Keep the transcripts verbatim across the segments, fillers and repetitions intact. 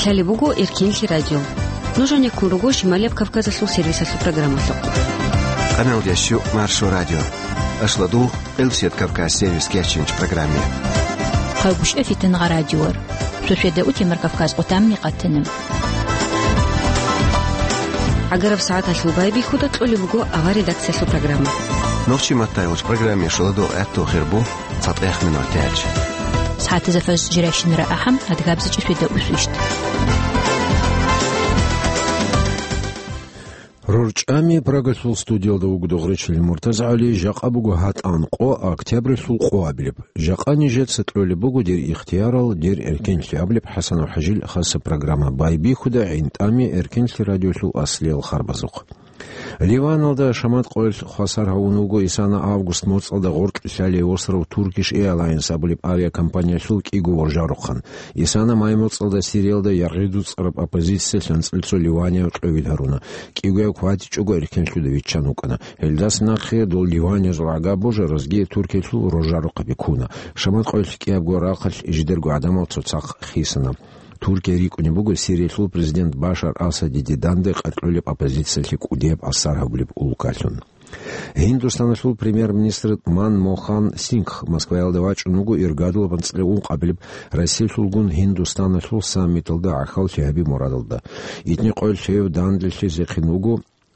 Лъалеб буго Эркенлъи радио. Нуж гьанеккун руго Шималияб Кавказалъул сервисалъул программалъухъ. Къаналдящу Маршо радио. Ашладу Элсет Кавказ сервис кечинч программе. Хъалгушев Фитнагъа радиор. Суседа утемар Кавказ къутамни къатана. ГӀагараб сагӀаталъул байбихьуда кьолеб буго авар редакциялъул программа. Нохчи маттайгъуч программе шуладу гӀатту хирбу цатӀех минут тяч. СагӀатазда фаз жирайщинара ахӀам, адгабзичӀи суседа усвищт. РорчӀами Прагалъул студиялда вуго Дугъричил МуртазагӀали, жакъа буго гьатӀан къо, октябрьлъул къо абилеб. Жакъа нижеца кьолеб буго дир ихтиярал, дир эркенлъи абилеб ХӀасанов ХӀажил хаса программа. Байбихьуда гӀинтӀами Эркенлъи радиолъул аслиял харбазухъ. Ливаналда шамат къоялъ хвасар гьавун вуго Исана август моцӀалда гъоркьлъалей остров Turkish Airlines абулеб авиакомпаниялъул кӀиго воржарухъан. Исана май моцӀалда Сириялда яргъи дуцӀараб оппозициялъ анцӀил цо ливаняв кьовил гьаруна. КӀигояв хьвадичӀого эркенлъуда виччан вукӀана. Гьелдаса нахъе дол ливаниязул гӀага божаразги Туркиялъул роржарухъаби ккуна. Шамат къоялъ кӀиябго рахъалъ жидерго гӀадамал цоцахъ хисана. Туркия рикӀкӀунеб буго Сириялъул президент Башар Асаде диданде къаркьулеб оппозициялъе кӀудияб асар гьабулеб улкалъун. Гьиндустаналъул премьер-министр Манмохан Сингх Москваялда вачӀун вуго иргадулаб анцӀила ункъабилеб Россиялъулгун Гьиндустаналъул саммиталда гӀахьаллъи гьаби мурадалда. Итни къоялъ гьев данделъизехъин вуго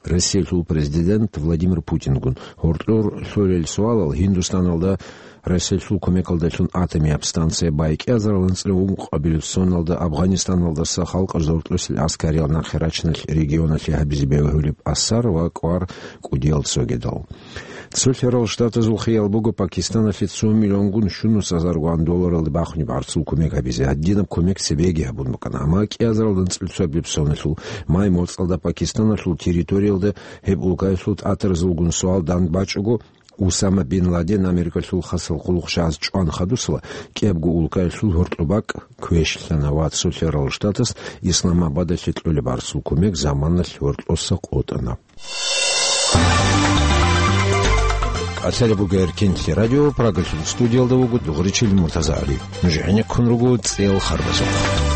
Россиялъул президент Владимир Путингун. Гьоркьор лъолел суалал Гьиндустаналда Россиялъул кумекалдалъун атомияб станция бай, кӀиазарал анцӀила ункъабилеб соналда Афганистаналдаса халкъ жортлъусел аскариял нахъе рачиналъ регионалъе гьабизе бегьулеб асар ва кӀвар кӀудиял цогидал. Цолъарал Штатазул хиял буго Пакистаналъе цо миллионгун щунус азаргун долларалда бахунеб гӀарцул кумек гьабизе. Гьадинаб кумек цебеги гьабун букӀана, амма кӀиазарал анцӀила цогидаб соналъул май моцӀалда Пакистаналъул территориялда гьеб улкаялъул тӀатаразулгун суал дандбачӀого, Усама бин Ладен Америкалъул хасал къулухъ щваз чӀван хадусала, кӀиябго улкаялъул гьоркьоб бакӀ квешлъана ва цолъарал Штатас Исламабадалъе кьолеб гӀарцул кумек заманалъ гьоркьоса къотӀана. Лъалеб буго Эркенлъи радио, Прагалъул студиялда вуго Дугъричил МуртазагӀали. Нуж гӀенеккун руго цӀел харбазухъ.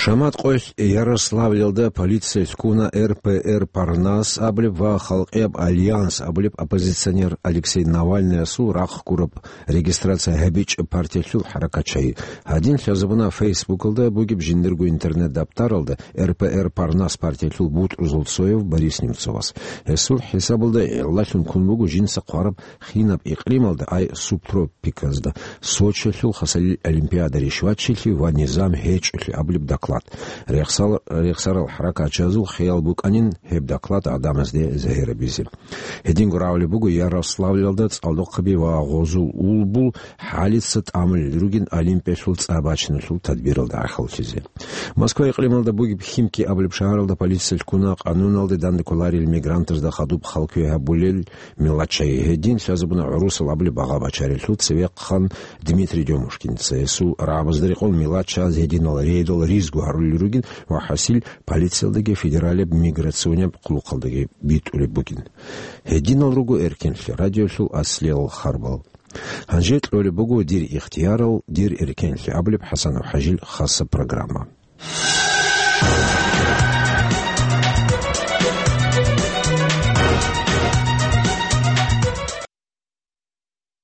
Шамат къоялъ Ярославльалда полиция лъугьуна РПР Парнас абулеб ва Халкъияб альянс абулеб оппозиционер Алексей Навальныясул рахъ гураб регистрация гьабичӀеб партиялъул хӀаракатчагьи. Гьадин лъазабуна Фейсбукалда бугеб жиндирго интернет-даптаралда РПР Парнас партиялъул бутӀрузул цояв Борис Немцовас. Гьесул хӀисабалда гӀиллалъун ккун буго жинца хъвараб хинаб икълималда, ай субтропиказда, Сочилъул хасалил олимпиада ришвачилъи ва низам гьечӀолъи абулеб доклад. Рехсал-, рехсарал хӀаракатчазул хиял букӀанин гьеб доклад гӀадамазде загьирабизе. Гьединго рагӀулеб буго Ярославльалда цӀалдохъаби ва гъозул улбул хӀалица тӀамулел ругин Олимпиялъул цӀа бачиналъул тадбиралда гӀахьаллъизе. Москва икълималда бугеб Химки абулеб шагьаралда полиция лъугьуна къануналде данде кколарел мигрантазда хадуб халкве гьабулел миллатчагьи. Гьедин лъазабуна гӀурусал абулеб багъа бачарелъул цевехъан Дмитрий Дёмушкинца. Гьесул рагӀабазда рекъон миллатчагьаз гьединал рейдал ризго гьарулел ругин ва хӀасил полициялдаги федералияб миграционияб къулухъалдаги битӀулеб бугин. Гьединал руго Эркенлъи радиолъул аслиял харбал. Гьанже кьолеб буго дир ихтиярал, дир эркенлъи абулеб ХӀасанов ХӀажил хаса программа.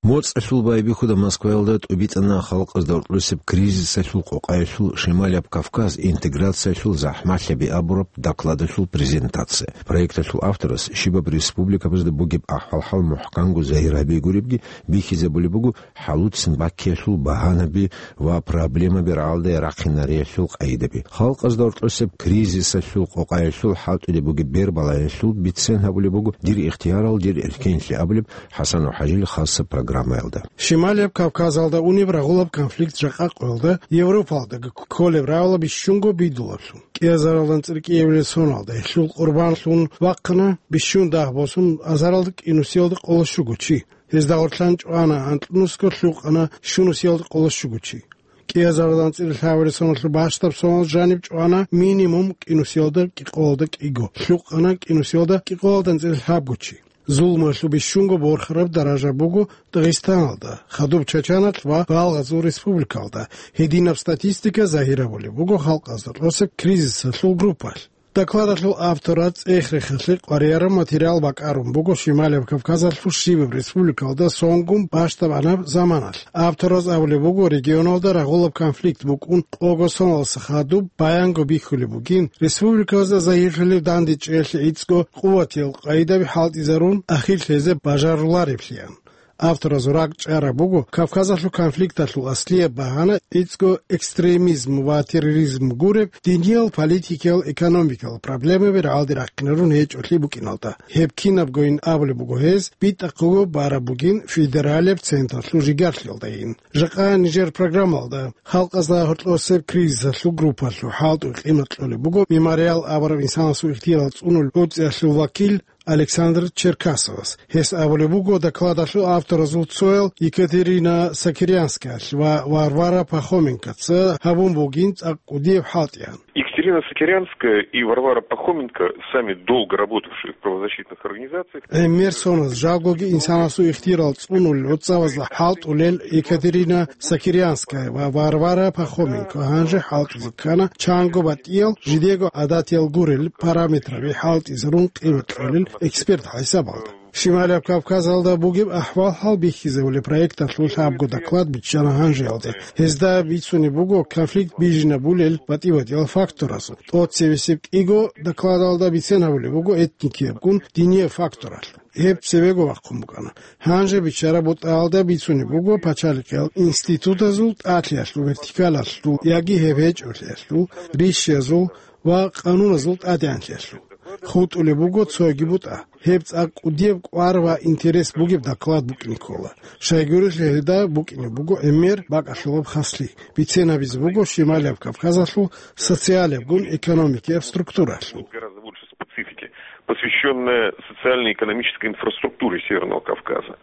МоцӀалъул байбихьуда Москваялда тӀубитӀана халкъазда гьоркьосеб кризисалъул къокъаялъул Шималияб Кавказ интеграциялъул захӀмалъаби абураб докладалъул презентация. Проекталъул авторас щибаб республикабазда бугеб ахӀвал-хӀал мухӀканго загьир гьабигуребги, бихьизабулеб буго хӀалуцин баккиялъул багьанаби ва проблемаби рагӀалде рахъинариялъул къагӀидаби. Халкъазда гьоркьосеб кризисалъул къокъаялъул хӀалтӀулеб бугеб бербалаялъул бицен гьабулеб буго дир ихтиярал, дир эркенлъи абулеб ХӀасанов ХӀажил хаса программаялда. Шималияб Кавказалда унеб рагъулаб конфликт жакъа къоялда Европалдаги кколеб рагӀула бищунго бидулаблъун. КӀиазаралда анцӀила кӀиабилеб соналда гьелъул къурбанлъун вахъана бищун дагь босун азаралда кӀинусиялда къоло щуго чи. Гьезда гъорлъан чӀвана анкьнусго, лъукъана щунусиялда къоло щуго чи. КӀиазаралда анцӀила лъабабилеб соналъул бащдаб сонал жаниб чӀвана минимум кӀинусиялда кӀикъоялда кӀиго, лъукъана кӀинусиялда кӀикъоялда анцӀила лъабго чи. Зулмалъул бищунго борхараб даража буго Дагъистаналда, хадуб Чачаналъ ва балгъазул республикалда. Гьединаб статистика загьир гьабулеб буго халкъазда тӀосеб кризисалъул группалъ. Докладалъул автораз цӀех-рехалъе къваригӀараб материал бакӀарун буго Шималияб Кавказалъул щибаб республикалда сонгун бащдабанаб заманалъ. Автораз абулеб буго, регионалда рагъулаб конфликт букӀун къого соналдаса хадуб баянго бихьулеб бугин, республикаялда загьирлъулеб дандечӀеялъе гӀицӀго къуватиял къагӀидаби хӀалтӀизарун, ахир лъезе бажарулареблъиан. Автораз ракӀчӀараб буго Кавказалъул конфликталъул аслияб багьана гӀицӀго экстремизм ва терроризм гуреб диниял, политикиял, экономикиял проблемаби рагӀалде рахъинарун гьечӀолъи букӀиналда. Гьеб кинабгойин абулеб буго гьез, битӀахъего бараб бугин федералияб централъул жигарлъиялдайин. Жакъа нижер программалда халкъазда гьоркьосеб кризисалъул группалъул хӀалтӀул къимат кьолеб буго Мемориал абураб инсанасул ихтияр цӀунулел гӀуцӀиялъул вакил Александр Черкасовас. Гьес абулеб буго докладалъул авторазул цоял Екатерина Сокирянскаялъ ва Варвара Пахоменкоца гьабун бугин цӀакъ кӀудияб хӀалтӀиян. Екатерина Сокирянская и Варвара Пахоменко, сами долго работавшие в правозащитных организациях. ГӀемер соназ жалгоги инсанасул ихтияр цӀунулел гӀуцӀавазда хӀалтӀулел Екатерина Сокирянская ва Варвара Пахоменко гьанже хӀалтӀизе ккана чанго батӀиял, жидего гӀадатиял гурел параметраби хӀалтӀизарун къимат кьолел эксперт хӀисабалда. Шималияб Кавказалда бугеб ахӀвал-хӀал бихьизабулеб проекталъул лъабго доклад биччана гьанжеялде. Гьезда бицунеб буго конфликт бижинабулел батӀи-батӀиял факторазул. ТӀоцебесеб кӀиго докладалда бицен гьабулеб буго этникиябгун динияб факторалъул. Гьеб цебего вахъун букӀана. Гьанже биччараб бутӀаялда бицунеб буго пачалихъиял институтазул тӀадлъиялъул вертикалалъул яги гьеб гьечӀолъиялъул, рищиязул ва къануназул тӀадегӀанлъиялъул. ХутӀулеб буго цоги бутӀа. Гьеб цӀакъ кӀудияб кӀвар ва интерес бугеб доклад букӀине ккола. Щайгурелъул гьелда букӀине буго гӀемер бакӀалъулаб хаслъи. Бицен гьабизе буго Шималияб Кавказалъул социалиябгун экономикияб структуралъул. Гораздо больше специфики, посвящённая социально-экономической инфраструктуре Северного Кавказа.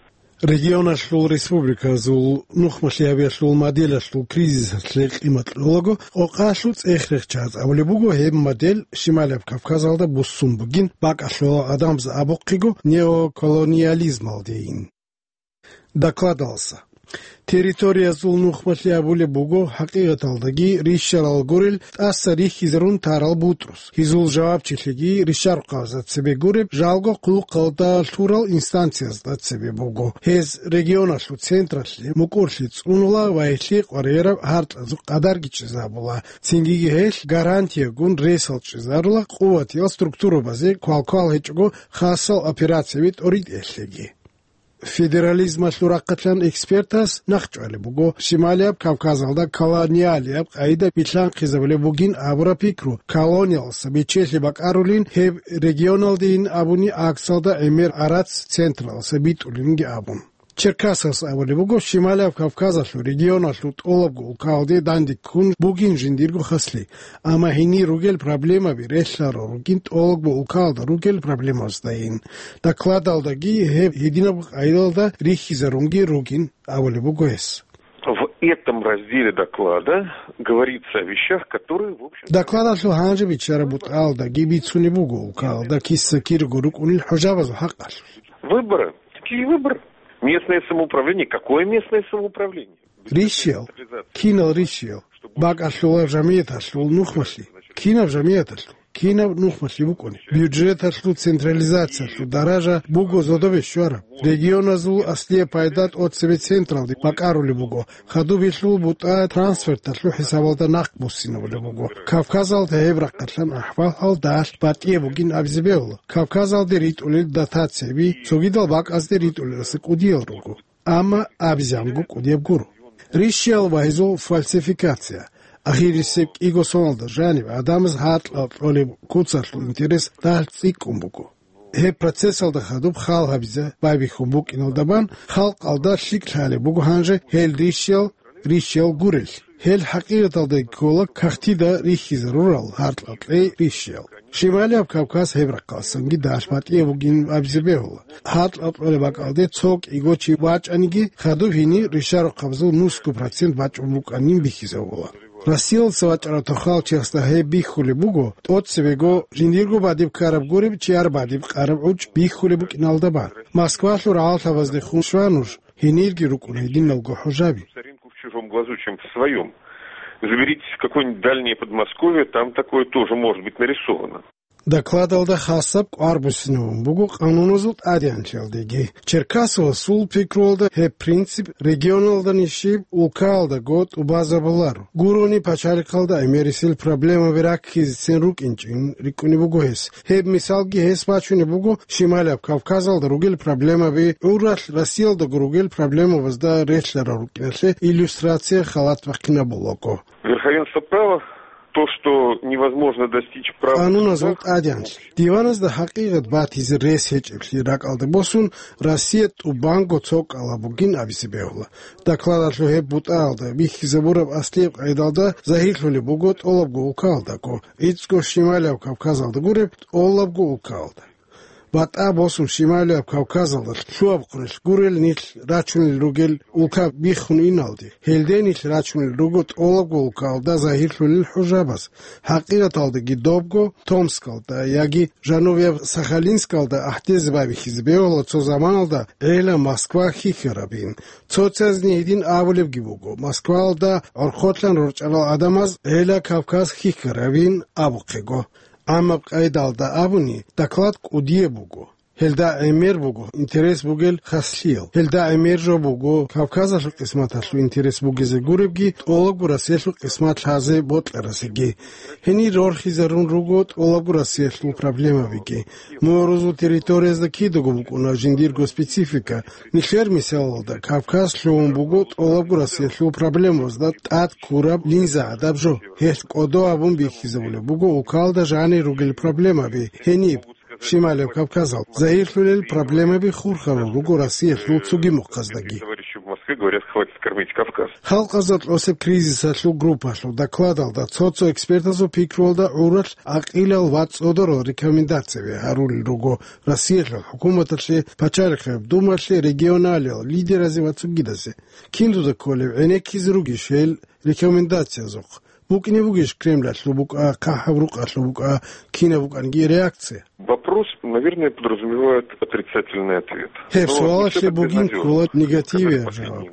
Регионалъул республиказул нухмалъиябиялъул моделалъул кризисалъе къимат кьолаго, къокъалъул цӀех-рехчаз абулеб буго, гьеб модель Шималияб Кавказалда буссун бугин, бакӀалъула адамаз абухъего неоколониализмалдейин. Докладалса. Территориязул нухмалъи абулеб буго, хӀакъикъаталдаги рищарал гурел тӀаса рихьизарун тарал бутӀрус. Гьезул жавабчилъиги рищарухъабазда цебе гуреб, жалго хъулухъалда лъурал инстанциязда цебе буго. Гьез регионалъул централъе мукӀурлъи цӀунула ва гьелъие къваригӀараб гьаркьазул къадарги чӀезабула. Цингиги гьелъ гарантиягун ресал чӀезарула къуватиял структурабазе квалквал гьечӀого хасал операцияби тӀоритӀеялъеги. Федерализмалъул рахъалъан экспертас нахъчӀвалеб буго, Шималияб Кавказалда колониалияб къагӀида билълъанхъизабулеб бугин абураб пикру, колониялса бечелъи бакӀарулин гьеб регионалдейин абуни, аксалда гӀемер гӀарац централса битӀулинги абун. Черкасовас абулеб буго, Шималияб Кавказалъул регионалъул тӀолабго улкалде данде ккун бугин жиндирго хаслъи. Амма гьенир ругел проблемаби релълъарал ругин тӀолабго улкалда ругел проблемаздаин. Докладалдаги гьеб гьединаб къайдалда рихьизарунги ругин абулеб буго гьес. В этом разделе доклада говорится о вещах, которые, в общем... Докладалъул гьанже биччараб бутӀалдаги бицунеб буго улкалда киса-кирего рукӀунел хӀужабазул хӀакъалъулъ. Выборы. Какие выборы? Местное самоуправление. Какое местное самоуправление? Рищиял? Кинал рищиял? БакӀалъулаб жамияталъул нухмалъи? Кинаб жамияталъул? Кинаб нухмалъи букӀуни? Бюджеталъул централизациялъул даража буго зодобе щвараб. Регионазул аслияб пайда тӀоцебе централде бакӀарулеб буго. Хадуб гьелъул бутӀа трансферталъул хӀисабалда нахъ буссинабулеб буго. Кавказалда гьеб рахъалъан ахӀвал-хӀал дагьалъ батӀияб бугин абизе бегьула. Кавказалде ритӀулел дотацияби цогидал бакӀазде ритӀулелдаса кӀудиял руго. Амма абизанго кӀудияб гуро. Рищиял ва гьезул фальсификация. Ахирисеб кӀиго соналда жаниб гӀадамаз гьаркьал кьолеб куцалъул интерес дагьалъ цӀикӀкӀун буго. Гьеб процессалда хадуб хал гьабизе байбихьун букӀиналда бан халкъалда лъикӀ лъалеб буго гьанже гьел рищиял, рищиял гурелъ. Гьел хӀакъикъаталда ккола кагътида рихьизарурал гьаркьа-кьей рищиял. Шималияб Кавказ гьеб рахъалсанги дагьалъ батӀияб бугин абизе бегьула. Гьаркьа-кьолеб бакӀалде цо кӀиго чи вачӀаниги, хадуб гьенир ришарухъабазул нусго процент бачӀун букӀанин бихьизабула. Россиялдаса вачӀарав тохал чиясда гьеб бихьулеб буго, тӀоцебего жиндирго бадиб ккараб гуреб, чияр бадиб къараб гӀучӀ бихьулеб букӀиналда бан. Москвалъул рагӀалъабаздехун щван нуж, гьенирги рукӀуна гьединалго хӀужаби. В чужом глазу, чем в своём. Заберитесь в какое-нибудь дальнее Подмосковье, там такое тоже может быть нарисовано. Докладалда хасаб кӀвар буссинабун буго къануназул тӀадегӀанлъиялдеги. Черкасовасул пикруялда гьеб принцип регионалда нижеб улкаялдаго тӀубазабуларо. Гурони пачалихъалда гӀемерисел проблемаби раккизецин рукӀинчӀин рикӀкӀунеб буго гьес. Гьеб мисалги гьес бачунеб буго Шималияб Кавказалда ругел проблемаби, гӀуралъ Россиялдаго ругел проблемабазда релълъарал рукӀиналъе иллюстрация халат бахъинабулаго. Верховенство права, то, что невозможно достичь права. Къануназул тӀадегӀанлъи. Диваназда хӀакъикъат батизе рес гьечӀеблъи ракӀалде босун, Россия тӀубанго цо кӀкӀалаб бугин абизе бегьула. Докладалъул гьеб бутӀаялда бихьизабураб аслияб къайдалда загьирлъулеб буго тӀолабго улкаялдаго, гӀицӀго Шималияб Кавказалда гуреб тӀолабго улкаялда. БатӀа босун Шималияб Кавказалда лъугьа-бухъунелъ гурел нилъ рачунел ругел улка биххун иналде, гьелде нилъ рачунел руго тӀолабго улкаялда загьирлъулел хӀужабаз. ХӀакъикъаталдаги добго Томскалда яги жанубияб Сахалинскалда гӀахьдезе байбихьизе бегьула цо заманалда гӀела Москва хьихьарабин. Цоцазни гьедин абулебги буго, Москваялда гӀорхъолъан рорчӀарал гӀадамаз гӀела Кавказ хьихьарабин абухъего. Амма къайдалда абуни, доклад кӀудияб буго. Гьелда гӀемер буго интерес бугел хаслъиял. Гьелда гӀемер жо буго Кавказалъул къисматалъул интерес бугезе гуребги, тӀолабго Россиялъул къисмат лъазе бокьарасеги. Гьенир рорхизарун руго тӀолабго Россиялъул проблемабиги. МугӀрузул территориязда кидаго букӀуна жиндирго специфика. Нилъер мисалалда, Кавказ лъугьун буго тӀолабго Россиялъул проблемабазда тӀад ккураб линза гӀадаб жо. Гьелъ кӀодо абун бихьизабулеб буго улкалда жанир ругел проблемаби. Гьениб, Шималияб Кавказал, загьирлъулел проблемаби хурхарал руго Россиялъул цоги мухъаздаги. Товарищи в Москве говорят: «Хватит кормить Кавказ». Халкъазда кьосеб кризисалъул группалъул докладалда цо-цо экспертазул пикруялда гӀуралъ гӀакъилал ва цӀодорал рекомендацияби гьарулел руго Россиялъул хӀукуматалъе, пачалихъияб думалъе, регионалиял лидеразе ва цогидазе. Кин дуда кколеб гӀенеккизе ругищ гьел рекомендациязухъ? БукӀине бугищ Кремлалъул букӀа, хъахӀаб рукъалъул букӀа, кинаб букӀанги реакция? Вопрос, наверное, подразумевает отрицательный ответ. Гьеб суалалъе бугин ккола негативияб жаваб.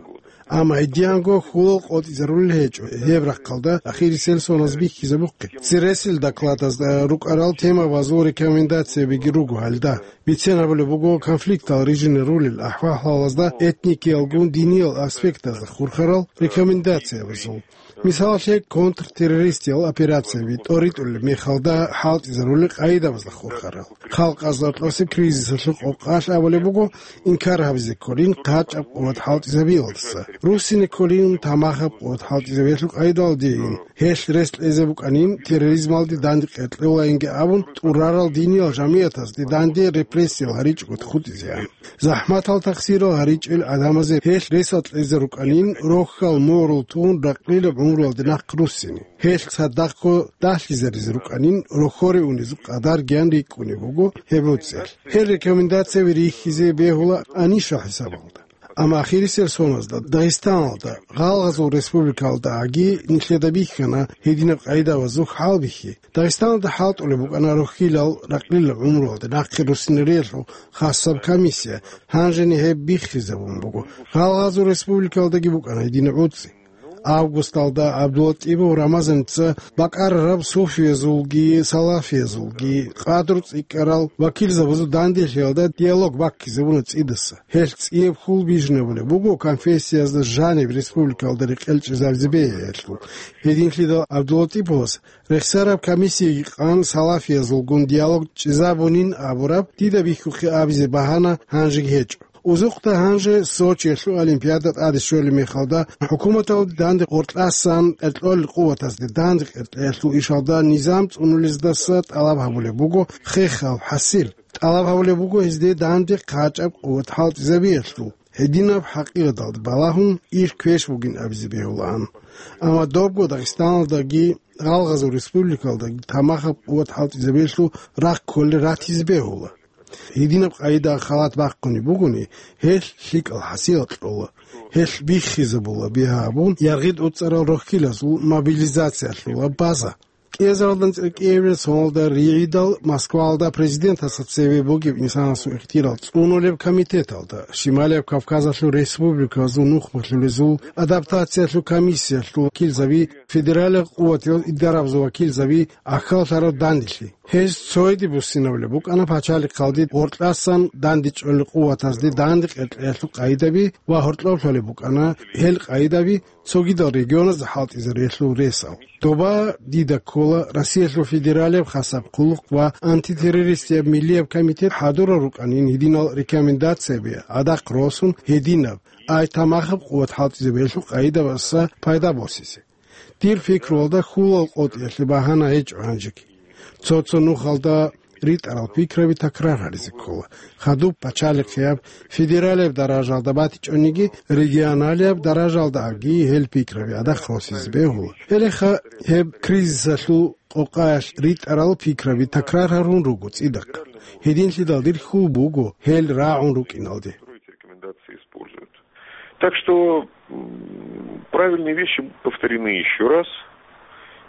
Амма гьединго хьулал къотӀизарулел гьечӀо гьеб рахъалда ахирисел соназ бихьизабухъе. Цересел докладазда рукӀарал темабазул рекомендациябиги руго гьалда. Бицен гьабулеб буго конфликтал рижине рулел ахӀвал-гьалазда этникиялгун диниял аспектазда хурхарал рекомендациябазул. Мисалалъе, контртеррористиял операцияби тӀоритӀулеб мехалда хӀалтӀизарулел къайдабазда хурхарал. Халкъазда кьосеб кризисалъул къокъалъ абулеб буго, инкар гьабизе кколин хъачӀаб къуват хӀалтӀизабиялдаса, руссине кколин тамахаб къуват хӀалтӀизабиялъул къайдалдейин. Гьелъ рес кьезе букӀанин терроризмалде данде къеркьевлаинги абун, тӀурарал диниял жамигӀатазде данде репрессиял гьаричӀого хутӀизеян. ЗахӀматал тахсирал гьаричӀел гӀадамазе гьелъ ресал кьезе рукӀанин, рохьал морул тун ракълилаб гӀумруялде нахъ руссине. Гьелъ цадахъго дагьлъизаризе рукӀанин, рохьоре унезул къадаргиян рикӀкӀунеб буго гьеб гьоцӀиялъ. Гьел рекомендацияби рихьизе бегьула аниша хӀисабалда. Амма ахирисел соназда Дагъистаналда, гъалгъазул республикалдаги нилъеда бихьана гьединаб къайдабазухъ хӀалбихьи. Дагъистаналда хӀалтӀулеб букӀана рохьилал ракълилаб гӀумруялде нахъе руссинариялъул хасаб комиссия, гьанжени гьеб биххизабун буго. Гъалгъазул республикалдаги букӀана гьединаб гӀуцӀи. Августалда ГӀабдулатӀипов Рамазаница бакӀарараб суфиязулги салафиязулги къадру цӀикӀкӀарал вакилзабазул данделъиялда диалог баккизабуна цӀидаса. Гьелъ цӀияб хьул бижинабулеб буго конфессиязда жаниб республикалда рекъел чӀезабизе бегьиялъул. Гьединлъидал ГӀабдулатӀиповас рехсараб комиссияги къан салафиязулгун диалог чӀезабунин абураб дида бихьухъе абизе багьана гьанжеги гьечӀо. Узухъда гьанже Сочиялъул Олимпиада тӀаде щолеб мехалда, хӀукуматалде данде къоркьасан кьеркьолел къуватазде данде къеркьеялъул ишалда низам цӀунулездаса тӀалаб гьабулеб буго хехал хӀасил. ТӀалаб гьабулеб буго гьезде данде хъачӀаб къуват хӀалтӀизабиялъул. Гьединаб хӀакъикъаталда балагьун иш квеш бугин абизе бегьулаан. Амма добго Дагъистаналдаги, гъалгъазул республикалдаги тамахаб къуват хӀалтӀизабиялъул рахъ кколел ратизе бегьула. Гьединаб къайда халат бахъунеб бугони, гьелъ лъикӀал хӀасил кьола. Гьелъ биххизабула бигьа абун, яргъид уцӀарал рохьилазул мобилизациялъула база. КӀиазаралдан цӀикӀкӀиабилеб соналда ригӀидал Москваялда президентасда цеве бугеб инсанасул ихтияр цӀунулеб комитеталда, Шималияб Кавказалъул республиказул нухмалъулезул адаптациялъул комиссиялъул вакилзаби, федералияб къуватиял идарабазул вакилзаби, ахьаллъараб данделъи. Гьез цояде буссинабулеб букӀана пачалихъалде гьоркьасан дандечӀолел къуватазде данде къеркьеялъул къайдаби ва гьоркьоб лъолеб букӀана гьел къайдаби цогидал регионазда хӀалтӀизарулелъул ресал. Доба дида ккола Россиялъул федералияб хасаб хъулухъ ва антитеррористияб миллияб комитет хӀадурал рукӀанин гьединал рекомендацияби гӀадахъ росун гьединаб, ай тамахаб къуват хӀалтӀизабиялъул къайдабаса пайда босизе. Дир пикруялда хьулал къотӀиялъе багьана гьечӀо гьанжеги. Цо-цо нухалда ритӀарал пикраби такрар гьаризе ккола. Хадуб пачалихъияб, федералияб даражалда батичӀониги, регионалияб даражалдаги гьел пикраби гӀадахъ росизе бегьула. Гьелеха гьеб кризисалъул къокъаялъ ритӀарал пикраби такрар гьарун руго цӀидахъ. Гьединлъидал дир хьул буго гьел рагӀун рукӀиналде. Так что, м, правильные вещи повторены ещё раз,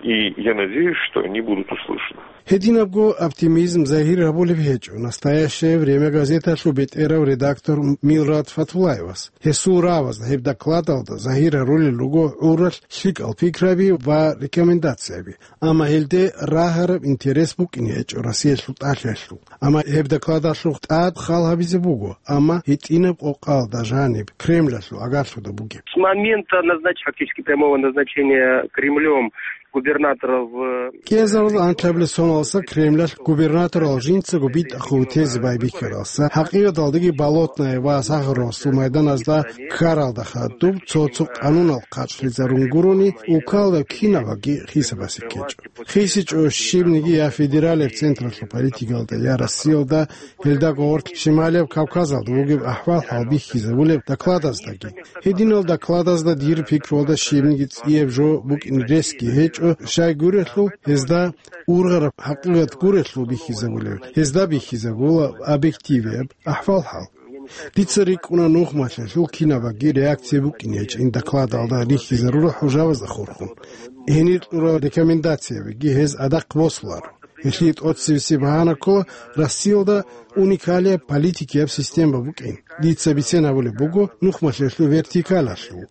и я надеюсь, что они будут услышаны. Гьединабго оптимизм загьир гьабулеб гьечӀо. «Настоящее время» газеталъул бетӀерав редактор Милрат Фатулаевас. Гьесул равазда гьеб докладалда загьир гьарулел руго гӀуралъ лъикӀал пикраби ва рекомендацияби. Амма гьелде рагьараб интерес букӀине гьечӀо Россиялъул тӀалъиялъул. Амма гьеб докладалъухъ тӀад хал гьабизе буго, амма гьитӀинаб къокъалда жаниб Кремлалъул агарлъуда бугеб. С момента назнач-, фактически прямого назначения Кремлём губернатора в КӀиазарал анлъабилеб соналдаса Кремлалъ губернаторал жинцаго битӀахъулев тезе байбихьаралдаса, хӀакъикъаталдаги Болотное ва Сахаровасул майданазда ккаралда хадуб цо-цо къанунал хъачӀлъизарун гурони, улкалда кинабаги хисабасе ккечӀо. ХисичӀо щибниги я федералияб централъул политикалда, я Россиялда, гьелдаго гьоркь Шималияб Кавказалда бугеб ахӀвал-хӀал бихьизабулеб докладаздаги. Гьединал докладазда дир пикруялда щибниги цӀияб жо букӀин ресги гьечӀо, щай гурелъул гьезда ургъараб хӀакъикъат гурелъул бихьизабулеб, гьезда бихьизабула объективияб ахӀвал-хӀал. Дица рикӀкӀуна нухмалъиялъул кинабаги реакция букӀин гьечӀин докладалда рихьизарурал хӀужабазда хурхун. Гьенир кьурал рекомендациябиги гьез гӀадахъ босуларо. Гьелъие тӀоцебесеб багьана ккола Россиялда уникалияб политикияб система букӀин. Дица бицен гьабулеб буго нухмалъиялъул вертикалалъул.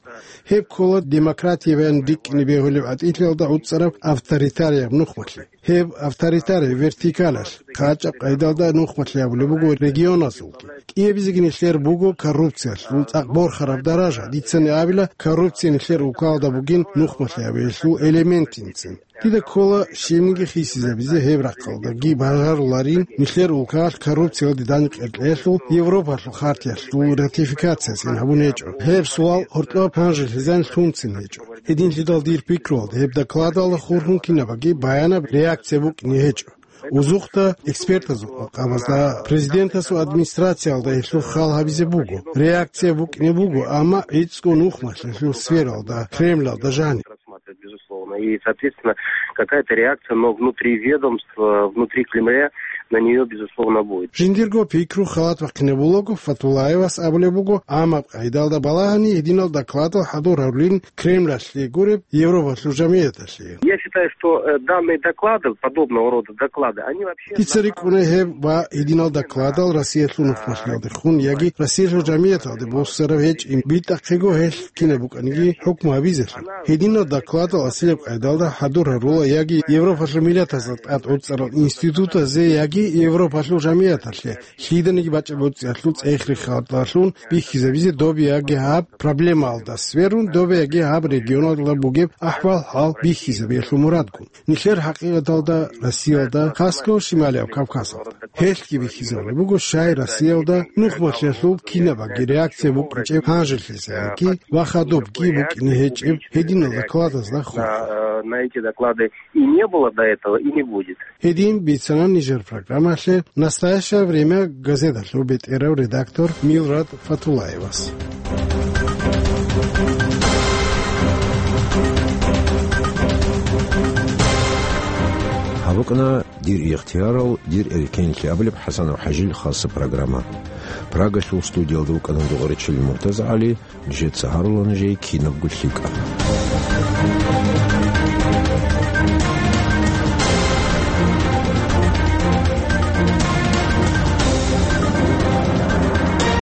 Гьеб ккола демократиябиян рикӀкӀине бегьулеб гӀатӀилъиялда гӀуцӀараб авторитарияб нухмалъи. Гьеб авторитарияб вертикалалъ хъачӀаб къайдалда нухмалъи гьабулеб буго регионазулги. КӀиабизеги нилъер буго коррупциялъул цӀакъ борхараб даража, дицани абила, коррупция нилъер улкалда бугин нухмалъи гьабиялъул элементинцин. Дида ккола щибниги хисизабизе гьеб рахъалдаги бажаруларин, нилъер улкалъ коррупциялде данде къеркьеялъул Европалъул хартиялъул ратификациясин гьабун гьечӀо. Гьеб суал гьоркьоб гьанжелъизан лъунцин гьечӀо. Гьединлъидал дир пикруялда гьеб докладалда хурхун кинабаги баянаб реакция букӀине гьечӀо. Узухъда экспертазул къабазда президентасул администрациялда гьелъул хал гьабизе буго, реакция букӀине буго, амма гӀицӀго нухмалъиялъул сфералда, Кремлалда жаниб. Безусловно. И, соответственно, какая-то реакция, но внутри ведомств, внутри Кремля на неё, безусловно, будет. Жиндирго пикру халат бахъинабулаго Фатулаевас абулеб буго, амма къайдалда балагьани гьединал докладал хӀадур гьарулин Кремлалъе гуреб Европалъул жамияталъе. Я считаю, что, э, данные доклады, подобного рода доклады, они вообще... Дица рикӀкӀуна гьеб ва гьединал докладал Россиялъул нухмалъиялдехун яги Россиялъул жамияталде боссараб гьечӀин битӀахъего гьелъ кинаб букӀаниги хӀукму гьабизелъул. Гьединал докладал асияб къайдалда хӀадур гьарула яги Европалъул миллатазда тӀад гӀуцӀарал институтазе яги Европалъул жамияталъе, лъиданиги бачӀа-буцӀиялъул цӀех-рехалдалъун бихьизабизе доб яги гьаб проблемалда сверун, доб яги гьаб регионалда бугеб ахӀвал-хӀал бихьизабиялъул мурадгун. Нилъер хӀакъикъаталда Россиялда, хасго Шималияб Кавказалда. Гьелъги бихьизабулеб буго, щай Россиялда нухмалъиялъул кинабаги реакция букӀинчӀеб гьанжелъизаянги ва хадубги букӀине гьечӀеб гьединал докладазда хурхун. На, э, на эти доклады и не было до этого, и не будет. Гьедин бицана нижер программалъе «Настоящее время» газеталъул бетӀерав редактор Милрат Фатулаевас. Гьаб букӀана «Дир ихтиярал, дир эркенлъи» абулеб ХӀасанов ХӀажил хасса программа. Прагалъул студиялда вукӀана Дугъаричилин МуртазагӀали, нижеца гьарула нужее кинабго лъикӀаб.